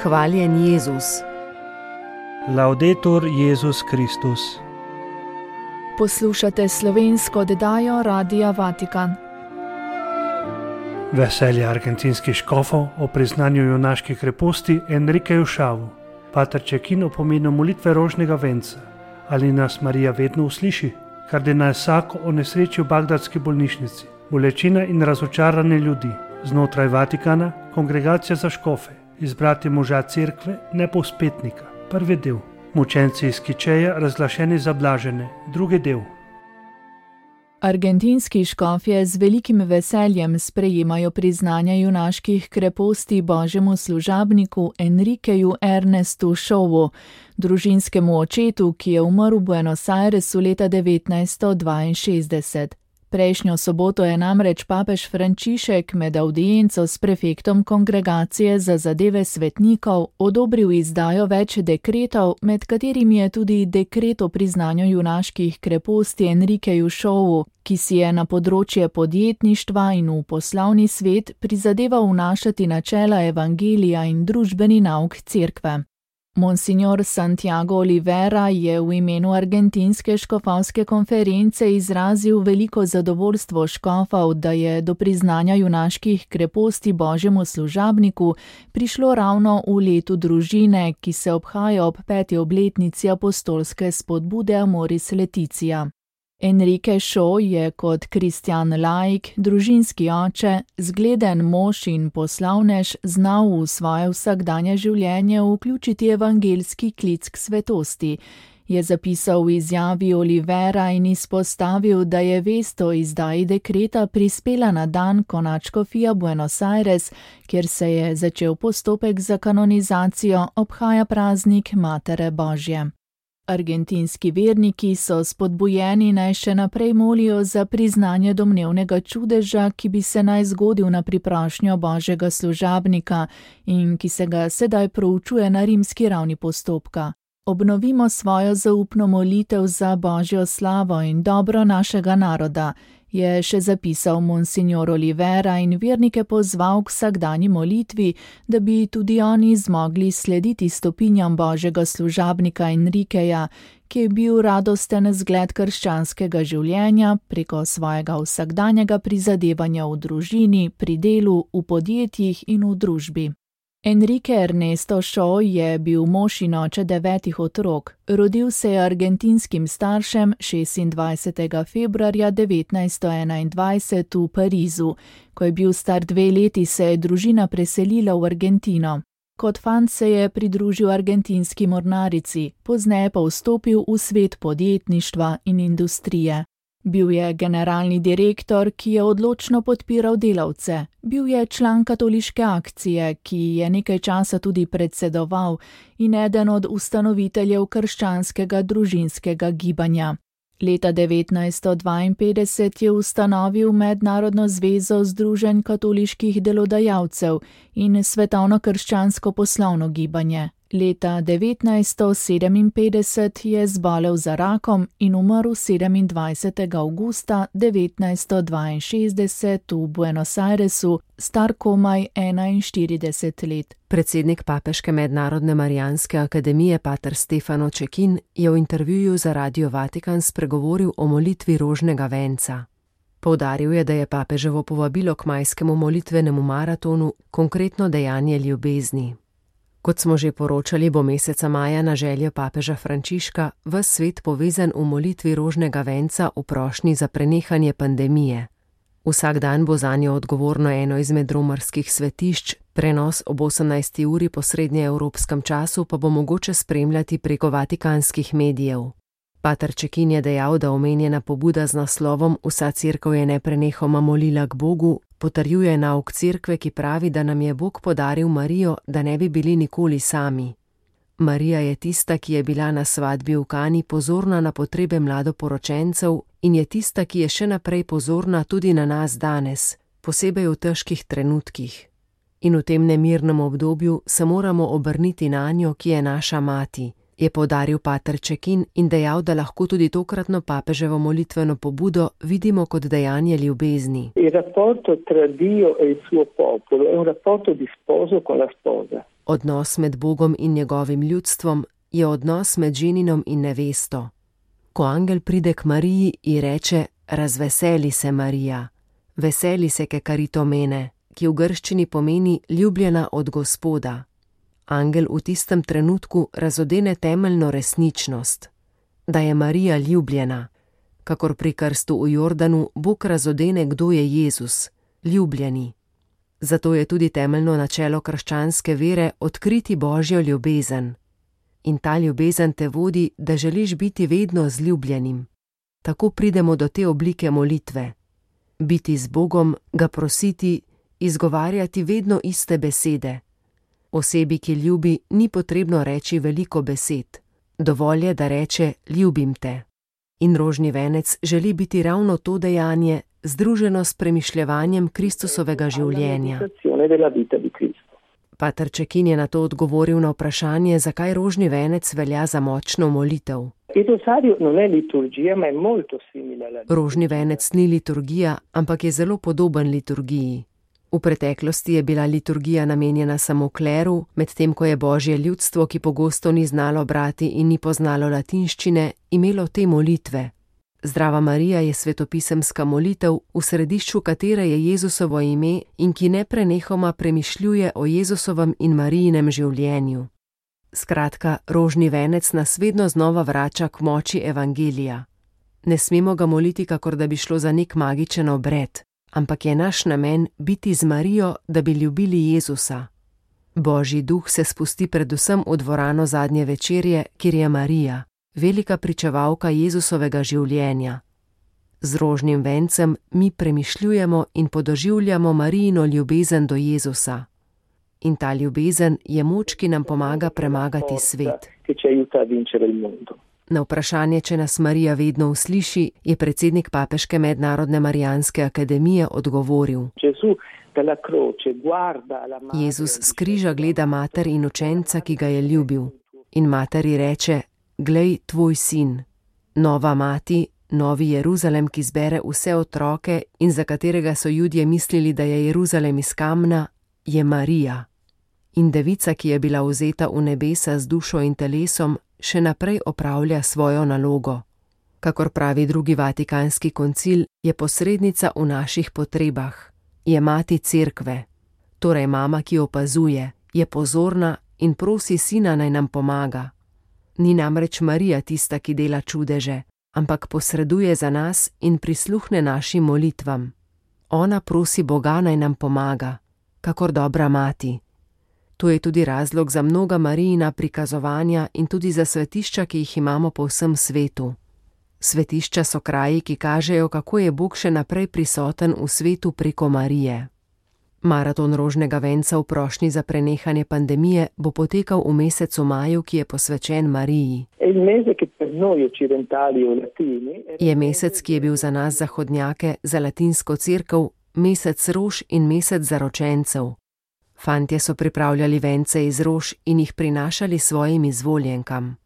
Hvaljen Jezus. Laudetur Jezus Kristus. Poslušate slovensko oddajo Radia Vatikan. Veselje argentinskih škofov o priznanju junaške kreposti Enrikeju Šavu. Pater Cekin o pomenu molitve rožnega venca. Ali nas Marija vedno usliši? Kardinal Sacco o nesreči v bagdadski bolnišnici. Bolečina in razočarane ljudi. Znotraj Vatikana kongregacija za škofe. Izbrati moža cerkve, ne povzpetnika. Prvi del. Mučenci iz Kičeja razglašeni za blažene. Drugi del. Argentinski škofje z velikim veseljem sprejemajo priznanja junaških kreposti božjemu služabniku Enrikeju Ernestu Šovu, družinskemu očetu, ki je umrl v Buenos Airesu leta 1962. Prejšnjo soboto je namreč papež Frančišek med avdienco s prefektom Kongregacije za zadeve svetnikov odobril izdajo več dekretov, med katerimi je tudi dekret o priznanju junaških kreposti Enrikeju Šovu, ki si je na področje podjetništva in v poslovni svet prizadeval vnašati načela evangelija in družbeni nauk cerkve. Monsignor Santiago Olivera je v imenu argentinske škofovske konference izrazil veliko zadovoljstvo škofov, da je do priznanja junaških kreposti božjemu služabniku prišlo ravno v letu družine, ki se obhaja ob 5. obletnici apostolske spodbude Amoris Laetitia. Enrique Šo je kot kristjan laik, družinski oče, zgleden mož in poslovnež znal v svoje vsakdanje življenje vključiti evangelski klic k svetosti, je zapisal v izjavi Olivera in izpostavil, da je vest o izdaji dekreta prispela na dan, ko nadškofija Buenos Aires, kjer se je začel postopek za kanonizacijo, obhaja praznik Matere Božje. Argentinski verniki so spodbujeni naj še naprej molijo za priznanje domnevnega čudeža, ki bi se naj zgodil na priprošnjo božjega služabnika in ki se ga sedaj proučuje na rimski ravni postopka. Obnovimo svojo zaupno molitev za božjo slavo in dobro našega naroda, je še zapisal monsignor Olivera in vernike pozval k vsakdanji molitvi, da bi tudi oni zmogli slediti stopinjam božjega služabnika Enrikeja, ki je bil radosten zgled krščanskega življenja preko svojega vsakdanjega prizadevanja v družini, pri delu, v podjetjih in v družbi. Enrique Ernesto Šo je bil mož in oče 9 otrok. Rodil se je argentinskim staršem 26. februarja 1921 v Parizu. Ko je bil star 2 leti, se je družina preselila v Argentino. Kot fant se je pridružil argentinski mornarici, pozneje pa vstopil v svet podjetništva in industrije. Bil je generalni direktor, ki je odločno podpiral delavce. Bil je član katoliške akcije, ki je nekaj časa tudi predsedoval in eden od ustanoviteljev krščanskega družinskega gibanja. Leta 1952 je ustanovil Mednarodno zvezo združenj katoliških delodajalcev in Svetovno krščansko poslovno gibanje. Leta 1957 je zbolel za rakom in umrl 27. avgusta 1962 v Buenos Airesu, star komaj 41 let. Predsednik Papeške mednarodne Marijanske akademije pater Stefano Cekin je v intervjuju za Radio Vatikan spregovoril o molitvi rožnega venca. Poudaril je, da je papeževo povabilo k majskemu molitvenemu maratonu konkretno dejanje ljubezni. Kot smo že poročali, bo meseca maja na željo papeža Frančiška ves svet povezan v molitvi rožnega venca v prošnji za prenehanje pandemije. Vsak dan bo zanjo odgovorno eno izmed romarskih svetišč, prenos ob 18. uri po srednjeevropskem času pa bo mogoče spremljati preko vatikanskih medijev. Pater Cekin je dejal, da omenjena pobuda z naslovom Vsa cerkev je neprenehoma molila k Bogu potrjuje nauk cerkve, ki pravi, da nam je Bog podaril Marijo, da ne bi bili nikoli sami. Marija je tista, ki je bila na svadbi v Kani pozorna na potrebe mladoporočencev in je tista, ki je še naprej pozorna tudi na nas danes, posebej v težkih trenutkih. In v tem nemirnem obdobju se moramo obrniti nanjo, ki je naša mati, je poudaril pater Cekin in dejal, da lahko tudi tokratno papeževo molitveno pobudo vidimo kot dejanje ljubezni. Odnos med Bogom in njegovim ljudstvom je odnos med ženinom in nevesto. Ko angel pride k Mariji in reče: razveseli se, Marija, veseli se, ke karito mene, ki v grščini pomeni ljubljena od Gospoda. Angel v tistem trenutku razodene temeljno resničnost, da je Marija ljubljena, kakor pri krstu v Jordanu Bog razodene, kdo je Jezus, ljubljeni. Zato je tudi temeljno načelo krščanske vere odkriti Božjo ljubezen. In ta ljubezen te vodi, da želiš biti vedno z ljubljenim. Tako pridemo do te oblike molitve. Biti z Bogom, ga prositi, izgovarjati vedno iste besede. Osebi, ki ljubi, ni potrebno reči veliko besed. Dovolj je, da reče: ljubim te. In rožni venec želi biti ravno to dejanje, združeno s premišljevanjem Kristusovega življenja. Pater Cekin je na to odgovoril na vprašanje, zakaj rožni venec velja za močno molitev. Rožni venec ni liturgija, ampak je zelo podoben liturgiji. V preteklosti je bila liturgija namenjena samo kleru, medtem ko je Božje ljudstvo, ki pogosto ni znalo brati in ni poznalo latinščine, imelo te molitve. Zdrava Marija je svetopisemska molitev, v središču katere je Jezusovo ime in ki neprenehoma premišljuje o Jezusovem in Marijinem življenju. Skratka, rožni venec nas vedno znova vrača k moči evangelija. Ne smemo ga moliti, kakor da bi šlo za nek magičen obred, ampak je naš namen biti z Marijo, da bi ljubili Jezusa. Božji duh se spusti predvsem v dvorano zadnje večerje, kjer je Marija, velika pričevalka Jezusovega življenja. Z rožnim vencem mi premišljujemo in podoživljamo Marijino ljubezen do Jezusa. In ta ljubezen je moč, ki nam pomaga premagati svet. Na vprašanje, če nas Marija vedno usliši, je predsednik Papeške mednarodne Marijanske akademije odgovoril: Jezus s križa gleda mater in učenca, ki ga je ljubil. In materi reče: glej, tvoj sin. Nova mati, novi Jeruzalem, ki zbere vse otroke in za katerega so Judje mislili, da je Jeruzalem iz kamna, je Marija. In devica, ki je bila vzeta v nebesa z dušo in telesom, še naprej opravlja svojo nalogo. Kakor pravi drugi Vatikanski koncil, je posrednica v naših potrebah. Je mati cerkve, torej mama, ki opazuje, je pozorna in prosi sina, naj nam pomaga. Ni namreč Marija tista, ki dela čudeže, ampak posreduje za nas in prisluhne našim molitvam. Ona prosi Boga, naj nam pomaga, kakor dobra mati. To je tudi razlog za mnoga Marijina prikazovanja in tudi za svetišča, ki jih imamo po vsem svetu. Svetišča so kraji, ki kažejo, kako je Bog še naprej prisoten v svetu preko Marije. Maraton rožnega venca v prošnji za prenehanje pandemije bo potekal v mesecu maju, ki je posvečen Mariji. Je mesec, ki je bil za nas zahodnjake, za latinsko cerkev, mesec rož in mesec zaročencev. Fantje so pripravljali vence iz rož in jih prinašali svojim izvoljenkam.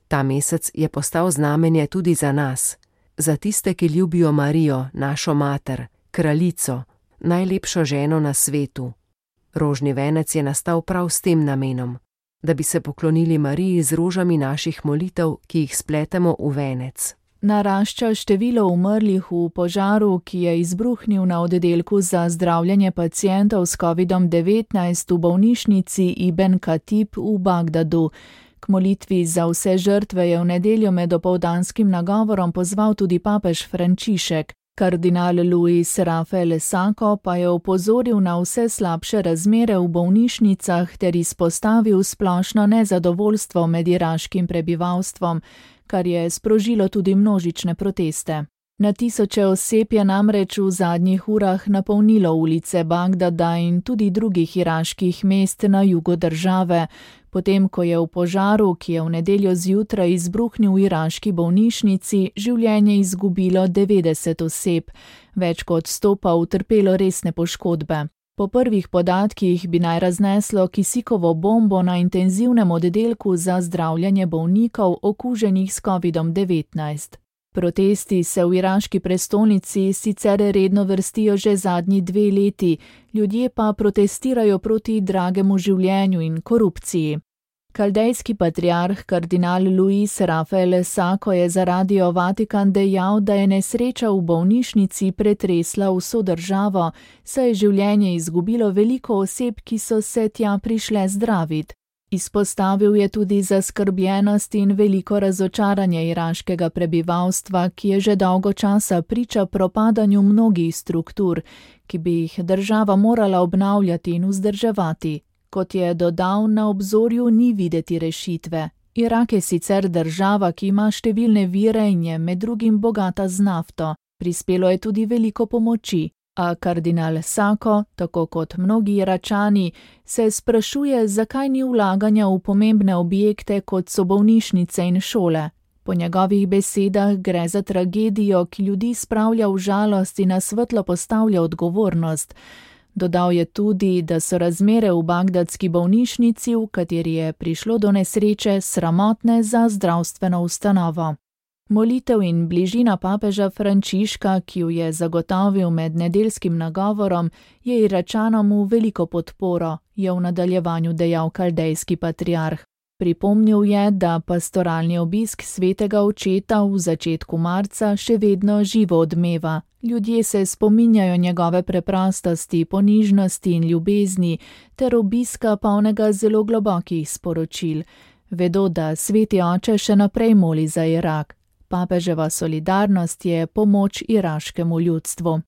Ta mesec je postal znamenje tudi za nas, za tiste, ki ljubijo Marijo, našo mater, kraljico, najlepšo ženo na svetu. Rožni venec je nastal prav s tem namenom, da bi se poklonili Mariji z rožami naših molitev, ki jih spletemo v venec. Narašča število umrlih v požaru, ki je izbruhnil na oddelku za zdravljenje pacientov s COVID-19 v bolnišnici Ibn Katib v Bagdadu. K molitvi za vse žrtve je v nedeljo med opoldanskim nagovorom pozval tudi papež Frančišek. Kardinal Luis Rafael Sako pa je opozoril na vse slabše razmere v bolnišnicah ter izpostavil splošno nezadovoljstvo med iraškim prebivalstvom, kar je sprožilo tudi množične proteste. Na tisoče oseb je namreč v zadnjih urah napolnilo ulice Bagdada in tudi drugih iraških mest na jugu države, potem ko je v požaru, ki je v nedeljo zjutraj izbruhnil v iraški bolnišnici, življenje izgubilo 90 oseb, več kot 100 pa utrpelo resne poškodbe. Po prvih podatkih bi naj razneslo kisikovo bombo na intenzivnem oddelku za zdravljenje bolnikov okuženih s COVID-19. Protesti se v iraški prestolnici sicer redno vrstijo že zadnji 2 leti, ljudje pa protestirajo proti dragemu življenju in korupciji. Kaldejski patriarh kardinal Luis Rafael Sako je za Radio Vatikan dejal, da je nesreča v bolnišnici pretresla vso državo, saj je življenje izgubilo veliko oseb, ki so se tja prišle zdravit. Izpostavil je tudi zaskrbljenost in veliko razočaranje iraškega prebivalstva, ki je že dolgo časa priča propadanju mnogih struktur, ki bi jih država morala obnavljati in vzdrževati. Kot je dodal, na obzorju ni videti rešitve. Irak je sicer država, ki ima številne vire in je med drugim bogata z nafto. Prispelo je tudi veliko pomoči. A kardinal Sako, tako kot mnogi Iračani, se sprašuje, zakaj ni vlaganja v pomembne objekte, kot so bolnišnice in šole. Po njegovih besedah gre za tragedijo, ki ljudi spravlja v žalost in na svetlo postavlja odgovornost. Dodal je tudi, da so razmere v bagdadski bolnišnici, v kateri je prišlo do nesreče, sramotne za zdravstveno ustanovo. Molitev in bližina papeža Frančiška, ki jo je zagotovil med nedeljskim nagovorom, je Iračanom v veliko podporo, je v nadaljevanju dejal kaldejski patriarh. Pripomnil je, da pastoralni obisk svetega očeta v začetku marca še vedno živo odmeva. Ljudje se spominjajo njegove preprostosti, ponižnosti in ljubezni, ter obiska polnega zelo globokih sporočil. Vedo, da sveti oče še naprej moli za Irak. Papeževa solidarnost je pomoč iraškemu ljudstvu.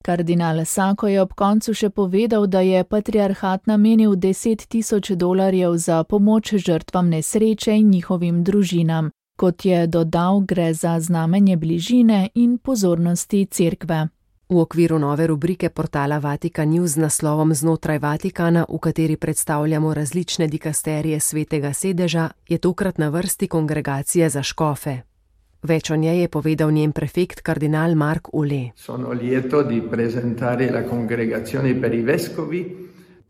Kardinal Sako je ob koncu še povedal, da je patriarhat namenil $10,000 za pomoč žrtvam nesreče in njihovim družinam. Kot je dodal, gre za znamenje bližine in pozornosti cerkve. V okviru nove rubrike portala Vatikan News z naslovom Znotraj Vatikana, v kateri predstavljamo različne dikasterije Svetega sedeža, je tokrat na vrsti kongregacija za škofe. Več o njej je povedal njen prefekt kardinal Mark Ule.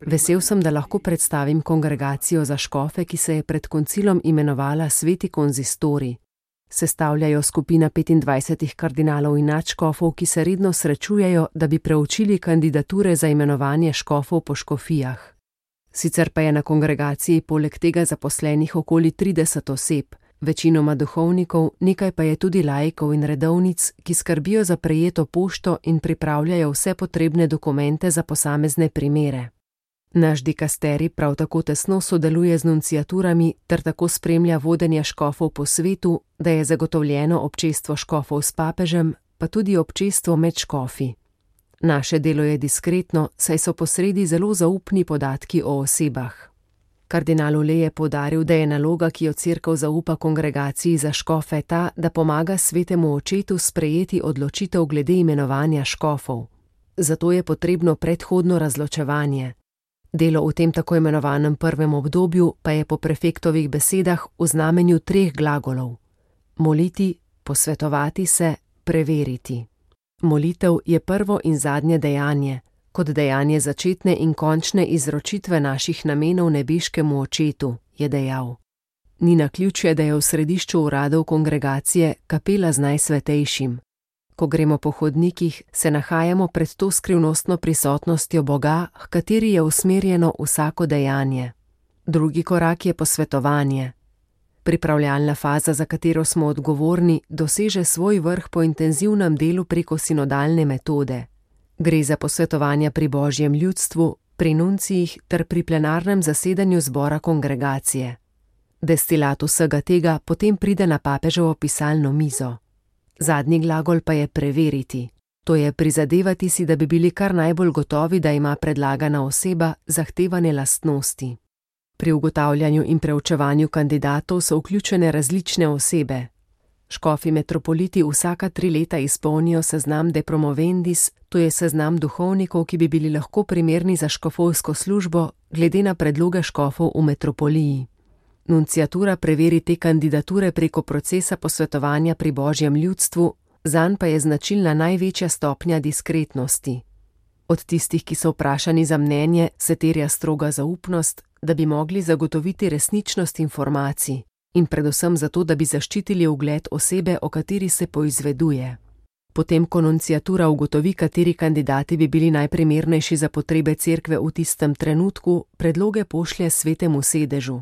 Vesel sem, da lahko predstavim kongregacijo za škofe, ki se je pred koncilom imenovala Sveti konzistori. Sestavljajo skupina 25 kardinalov in nadškofov, ki se redno srečujejo, da bi preučili kandidature za imenovanje škofov po škofijah. Sicer pa je na kongregaciji poleg tega zaposlenih okoli 30 oseb, večinoma duhovnikov, nekaj pa je tudi laikov in redovnic, ki skrbijo za prejeto pošto in pripravljajo vse potrebne dokumente za posamezne primere. Naš dikasteri prav tako tesno sodeluje z nunciaturami ter tako spremlja vodenje škofov po svetu, da je zagotovljeno občestvo škofov s papežem, pa tudi občestvo med škofi. Naše delo je diskretno, saj so posredi zelo zaupni podatki o osebah. Kardinal Ule je poudaril, da je naloga, ki jo cerkev zaupa kongregaciji za škofe, ta, da pomaga svetemu očetu sprejeti odločitev glede imenovanja škofov. Zato je potrebno predhodno razločevanje. Delo v tem tako imenovanem prvem obdobju pa je po prefektovih besedah v znamenju 3 glagolov. Moliti, posvetovati se, preveriti. Molitev je prvo in zadnje dejanje, kot dejanje začetne in končne izročitve naših namenov nebeškemu očetu, je dejal. Ni naključje, da je v središču uradov kongregacije kapela z Najsvetejšim. Ko gremo po hodnikih, se nahajamo pred to skrivnostno prisotnostjo Boga, h kateri je usmerjeno vsako dejanje. Drugi korak je posvetovanje. Pripravljalna faza, za katero smo odgovorni, doseže svoj vrh po intenzivnem delu preko sinodalne metode. Gre za posvetovanja pri Božjem ljudstvu, pri nuncijih ter pri plenarnem zasedanju zbora kongregacije. Destilat vsega tega potem pride na papeževo pisalno mizo. Zadnji glagol pa je preveriti. To je prizadevati si, da bi bili kar najbolj gotovi, da ima predlagana oseba zahtevane lastnosti. Pri ugotavljanju in preučevanju kandidatov so vključene različne osebe. Škofi metropoliti vsaka 3 leta izpolnijo seznam de promovendis, to je seznam duhovnikov, ki bi bili lahko primerni za škofovsko službo, glede na predloge škofov v metropoliji. Nunciatura preveri te kandidature preko procesa posvetovanja pri Božjem ljudstvu, zanj pa je značilna največja stopnja diskretnosti. Od tistih, ki so vprašani za mnenje, se terja stroga zaupnost, da bi mogli zagotoviti resničnost informacij in predvsem zato, da bi zaščitili ugled osebe, o kateri se poizveduje. Potem, ko nunciatura ugotovi, kateri kandidati bi bili najprimernejši za potrebe cerkve v tistem trenutku, predloge pošlje svetemu sedežu.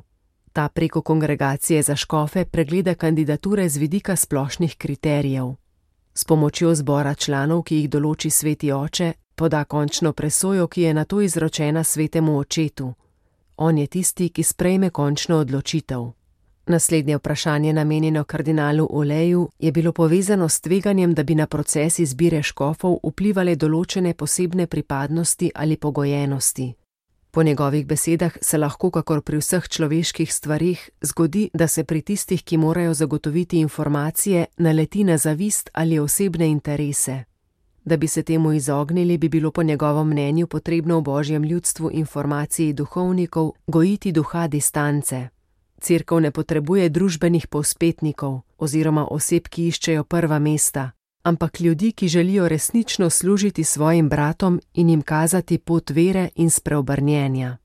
Ta preko kongregacije za škofe pregleda kandidature z vidika splošnih kriterijev. S pomočjo zbora članov, ki jih določi sveti oče, poda končno presojo, ki je nato izročena svetemu očetu. On je tisti, ki sprejme končno odločitev. Naslednje vprašanje, namenjeno kardinalu Oleju, je bilo povezano s tveganjem, da bi na proces izbire škofov vplivale določene posebne pripadnosti ali pogojenosti. Po njegovih besedah se lahko, kakor pri vseh človeških stvarih, zgodi, da se pri tistih, ki morajo zagotoviti informacije, naleti na zavist ali osebne interese. Da bi se temu izognili, bi bilo po njegovem mnenju potrebno v Božjem ljudstvu informaciji duhovnikov gojiti duha distance. Cerkev ne potrebuje družbenih povzpetnikov oziroma oseb, ki iščejo prva mesta, ampak ljudi, ki želijo resnično služiti svojim bratom in jim kazati pot vere in spreobrnjenja.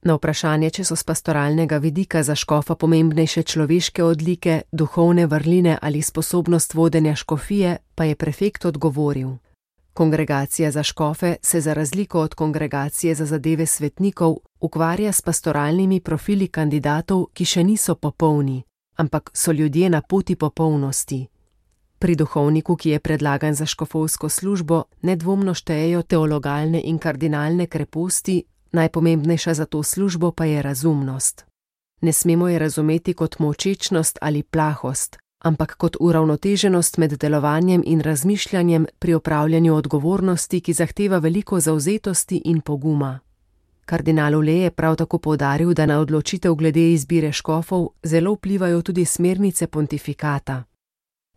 Na vprašanje, če so s pastoralnega vidika za škofa pomembnejše človeške odlike, duhovne vrline ali sposobnost vodenja škofije, pa je prefekt odgovoril: Kongregacija za škofe se za razliko od kongregacije za zadeve svetnikov ukvarja s pastoralnimi profili kandidatov, ki še niso popolni, ampak so ljudje na poti popolnosti. Pri duhovniku, ki je predlagan za škofovsko službo, nedvomno štejejo teologalne in kardinalne kreposti, najpomembnejša za to službo pa je razumnost. Ne smemo je razumeti kot molčečnost ali plahost, ampak kot uravnoteženost med delovanjem in razmišljanjem pri opravljanju odgovornosti, ki zahteva veliko zavzetosti in poguma. Kardinal Ole je prav tako poudaril, da na odločitev glede izbire škofov zelo vplivajo tudi smernice pontifikata.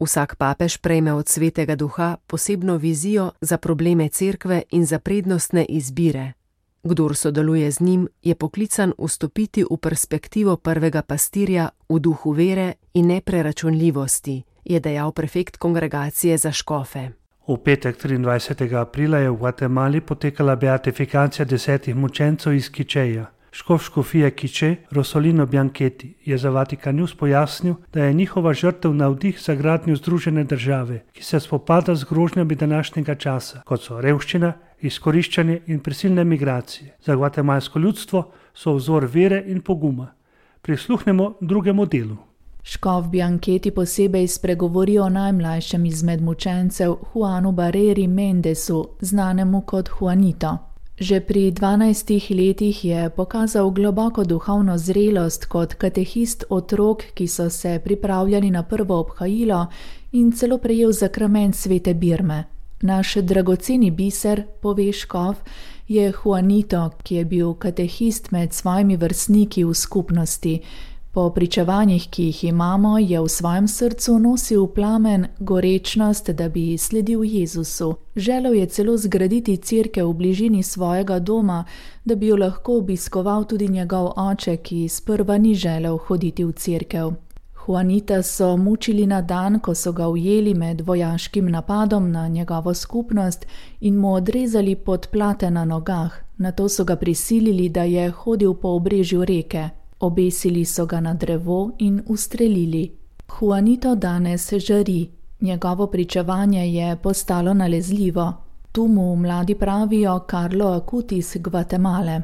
Vsak papež prejme od svetega duha posebno vizijo za probleme cerkve in za prednostne izbire. Kdor sodeluje z njim, je poklican vstopiti v perspektivo prvega pastirja v duhu vere in nepreračunljivosti, je dejal prefekt kongregacije za škofe. V petek 23. aprila je v Gvatemali potekala beatifikacija 10 mučencev iz Kičeja. Škof škofije Kiče, Rosolino Bianchetti, je za Vatikan News pojasnil, da je njihova žrtev navdih za gradnjo združene države, ki se spopada z grožnjami današnjega časa, kot so revščina, izkoriščanje in prisilne migracije. Za gvatemalsko ljudstvo so vzor vere in poguma. Prisluhnemo drugemu delu. Škof Bianchetti posebej spregovori o najmlajšem izmed mučencev, Juanu Barreri Mendesu, znanemu kot Juanito. Že pri 12 letih je pokazal globoko duhovno zrelost kot katehist otrok, ki so se pripravljali na prvo obhajilo, in celo prejel zakrament svete birme. Naš dragoceni biser, pove škof, je Juanito, ki je bil katehist med svojimi vrstniki v skupnosti. Po pričevanjih, ki jih imamo, je v svojem srcu nosil plamen, gorečnost, da bi sledil Jezusu. Želel je celo zgraditi cerkev v bližini svojega doma, da bi jo lahko obiskoval tudi njegov oče, ki sprva ni želel hoditi v cerkev. Juanita so mučili na dan, ko so ga ujeli med vojaškim napadom na njegovo skupnost in mu odrezali podplate na nogah. Nato so ga prisilili, da je hodil po obrežju reke. Obesili so ga na drevo in ustrelili. Juanito danes žari. Njegovo pričevanje je postalo nalezljivo. Tu mu mladi pravijo Carlo Acutis Gvatemale.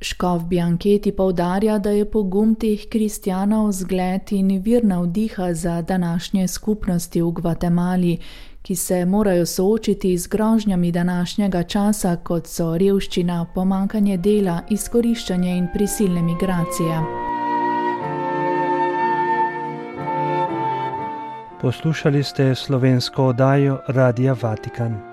Škof Bianchetti poudarja, da je pogum teh kristjanov zgled in vir navdiha za današnje skupnosti v Gvatemali, ki se morajo soočiti z grožnjami današnjega časa, kot so revščina, pomanjkanje dela, izkoriščanje in prisilne migracije. Poslušali ste slovensko oddajo Radia Vatikan.